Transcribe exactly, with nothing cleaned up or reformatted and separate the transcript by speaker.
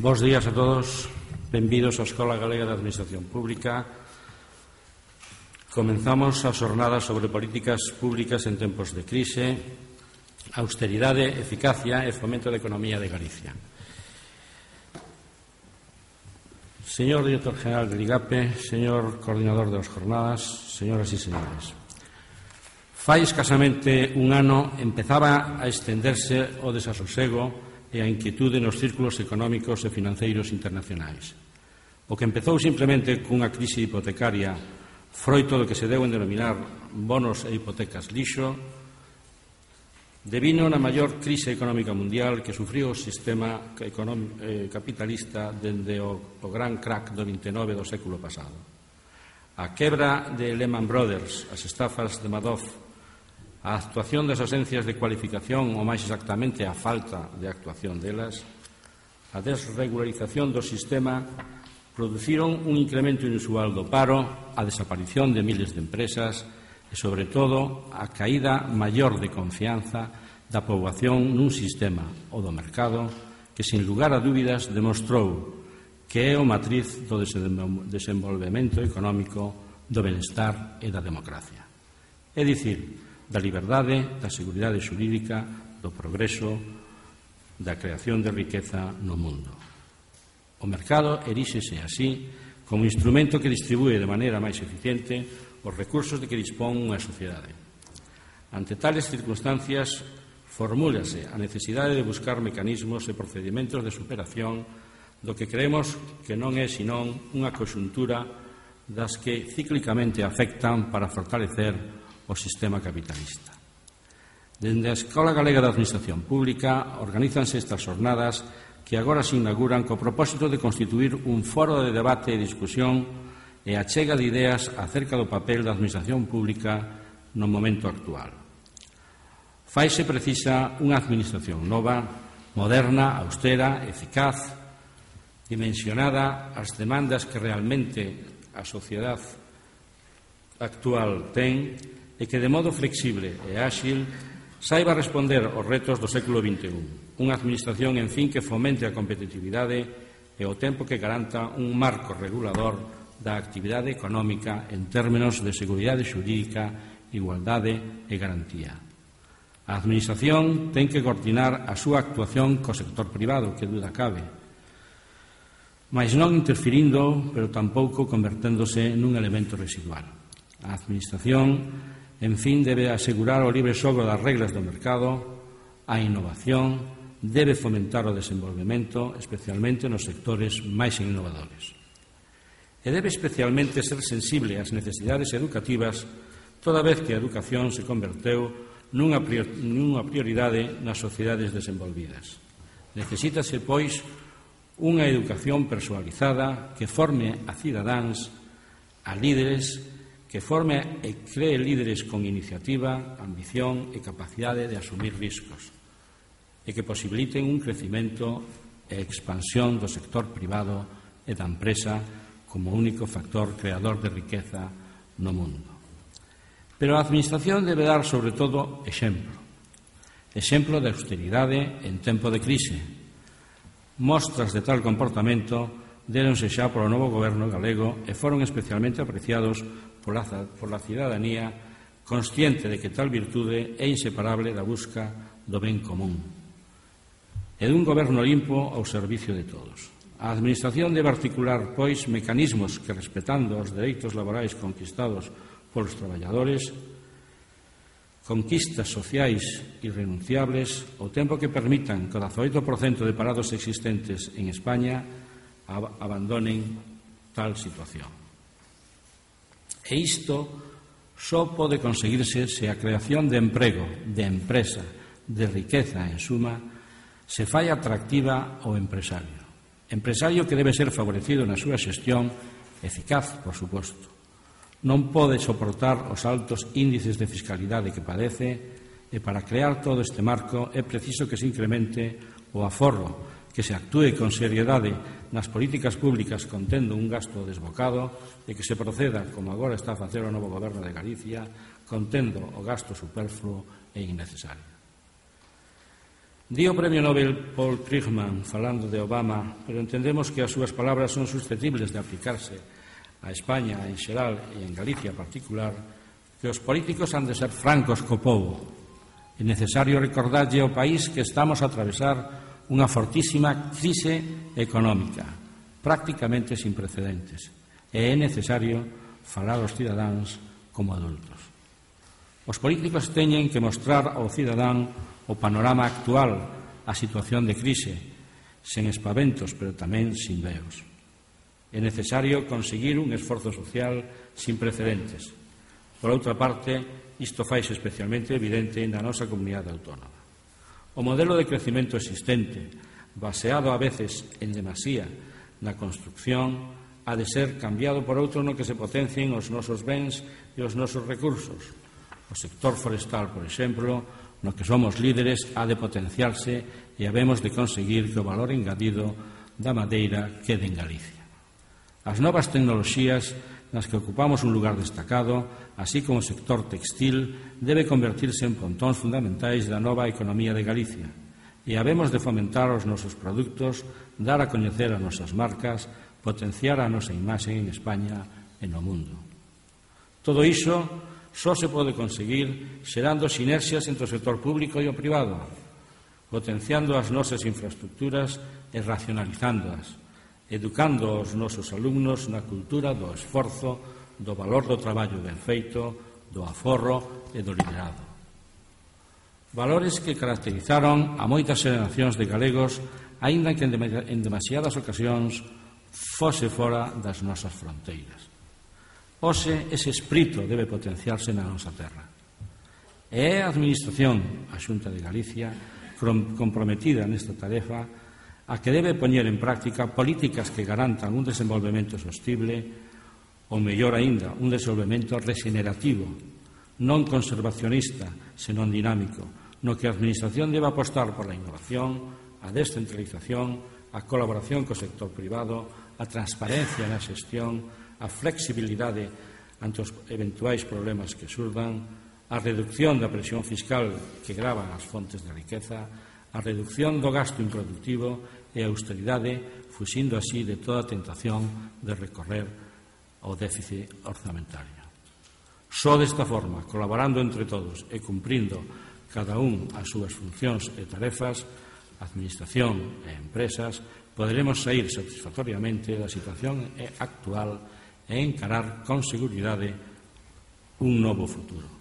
Speaker 1: Bos días a todos, benvidos á Escola Galega de Administración Pública. Comenzamos a xornada sobre políticas públicas en tempos de crise, austeridade, eficacia e fomento da economía de Galicia. Señor Director General del I G A P E, señor Coordinador das Jornadas, señoras e señores, fai escasamente un ano empezaba a estenderse o desasosego e a inquietude nos círculos económicos e financeiros internacionais. O que empezou simplemente cunha crise hipotecaria froito do que se deu en denominar bonos e hipotecas lixo, devino na maior crise económica mundial que sufriu o sistema capitalista dende o, o gran crack do vinte e nove do século pasado. A quebra de Lehman Brothers, as estafas de Madoff, a actuación das ausencias de cualificación, ou máis exactamente a falta de actuación delas, a desregularización do sistema, produciron un incremento inusual do paro, a desaparición de miles de empresas e, sobre todo, a caída maior de confianza da poboación nun sistema, o do mercado, que, sin lugar a dúbidas, demostrou que é o matriz do desenvolvemento económico, do benestar e da democracia. É dicir, da liberdade, da seguridade xurídica, do progreso, da creación de riqueza no mundo. O mercado eríxese así como instrumento que distribúe de maneira máis eficiente os recursos de que dispón unha sociedade. Ante tales circunstancias, formúlase a necesidade de buscar mecanismos e procedimentos de superación do que creemos que non é senón unha conxuntura das que cíclicamente afectan para fortalecer o sistema capitalista. Dende a Escola Galega de Administración Pública organízanse estas xornadas que agora se inauguran co propósito de constituir un foro de debate e discusión e achega de ideas acerca do papel da Administración Pública no momento actual. Faise precisa unha Administración nova, moderna, austera, eficaz, dimensionada ás demandas que realmente a sociedade actual ten e que de modo flexible e áxil saiba responder aos retos do século vinte e un. Unha administración, en fin, que fomente a competitividade e ao tempo que garanta un marco regulador da actividade económica en términos de seguridade xurídica, igualdade e garantía. A administración ten que coordinar a súa actuación co sector privado, que duda cabe, mais non interferindo, pero tampouco converténdose nun elemento residual. A administración, en fin, debe asegurar o libre xogo das reglas do mercado, a innovación, debe fomentar o desenvolvemento, especialmente nos sectores máis innovadores. E debe especialmente ser sensible ás necesidades educativas, toda vez que a educación se converteu nunha prioridade nas sociedades desenvolvidas. Necesítase, pois, unha educación personalizada que forme a cidadáns, a líderes, que forme e cree líderes con iniciativa, ambición e capacidade de asumir riscos e que posibiliten un crecimento e expansión do sector privado e da empresa como único factor creador de riqueza no mundo. Pero a Administración debe dar, sobre todo, exemplo. Exemplo de austeridade en tempo de crise. Mostras de tal comportamento déronse xa polo novo goberno galego e foron especialmente apreciados pola, pola cidadanía consciente de que tal virtude é inseparable da busca do ben común e dun goberno limpo ao servicio de todos. A Administración debe articular, pois, mecanismos que, respetando os dereitos laborais conquistados polos traballadores, conquistas sociais irrenunciables, ao tempo que permitan que o dezaoito por cento de parados existentes en España abandonen tal situación. E isto só pode conseguirse se a creación de emprego, de empresa, de riqueza, en suma, se fai atractiva ao empresario. Empresario que debe ser favorecido na súa xestión, eficaz, por suposto. Non pode soportar os altos índices de fiscalidade que padece e para crear todo este marco é preciso que se incremente o aforro, que se actúe con seriedade nas políticas públicas contendo un gasto desbocado e que se proceda, como agora está a facer o novo goberno de Galicia, contendo o gasto superfluo e innecesario. Di o Premio Nobel Paul Krugman falando de Obama, pero entendemos que as súas palabras son susceptibles de aplicarse a España en xeral e en Galicia en particular, que os políticos han de ser francos co povo. É necesario recordarlle ao país que estamos a atravesar unha fortísima crise económica, prácticamente sin precedentes, e é necesario falar aos cidadáns como adultos. Os políticos teñen que mostrar ao cidadán o panorama actual, a situación de crise, sen espaventos, pero tamén sin veos. É necesario conseguir un esforzo social sin precedentes. Por outra parte, isto faise especialmente evidente na nosa comunidade autónoma. O modelo de crecimento existente, baseado a veces en demasía na construcción, ha de ser cambiado por outro no que se potencien os nosos bens e os nosos recursos. O sector forestal, por exemplo, no que somos líderes, ha de potenciarse e habemos de conseguir que o valor engadido da madeira quede en Galicia. As novas tecnoloxías nas que ocupamos un lugar destacado, así como o sector textil, debe convertirse en pontóns fundamentais da nova economía de Galicia e habemos de fomentar os nosos produtos, dar a coñecer as nosas marcas, potenciar a nosa imaxe en España e no mundo. Todo iso só se pode conseguir xerando sinerxias entre o sector público e o privado, potenciando as nosas infraestructuras e racionalizándoas, educando os nosos alumnos na cultura do esforzo, do valor do traballo ben feito, do aforro e do liderado. Valores que caracterizaron a moitas xeracións de galegos, aínda que en demasiadas ocasións fose fora das nosas fronteiras. Hoxe, ese espírito debe potenciarse na nosa terra. E é a Administración, a Xunta de Galicia, comprometida nesta tarefa, a que debe poñer en práctica políticas que garantan un desenvolvemento sostible, ou mellor aínda, un desenvolvemento regenerativo, non conservacionista, senón dinámico, no que a Administración debe apostar por a innovación, a descentralización, a colaboración co sector privado, a transparencia na xestión, a flexibilidade ante os eventuais problemas que surdan, a reducción da presión fiscal que grava as fontes de riqueza, a reducción do gasto improductivo e a austeridade, fuxindo así de toda tentación de recorrer ao déficit orzamentario. Só desta forma, colaborando entre todos e cumprindo cada un as súas funcións e tarefas, a Administración e empresas, poderemos saír satisfactoriamente da situación actual e encarar con seguridade un novo futuro.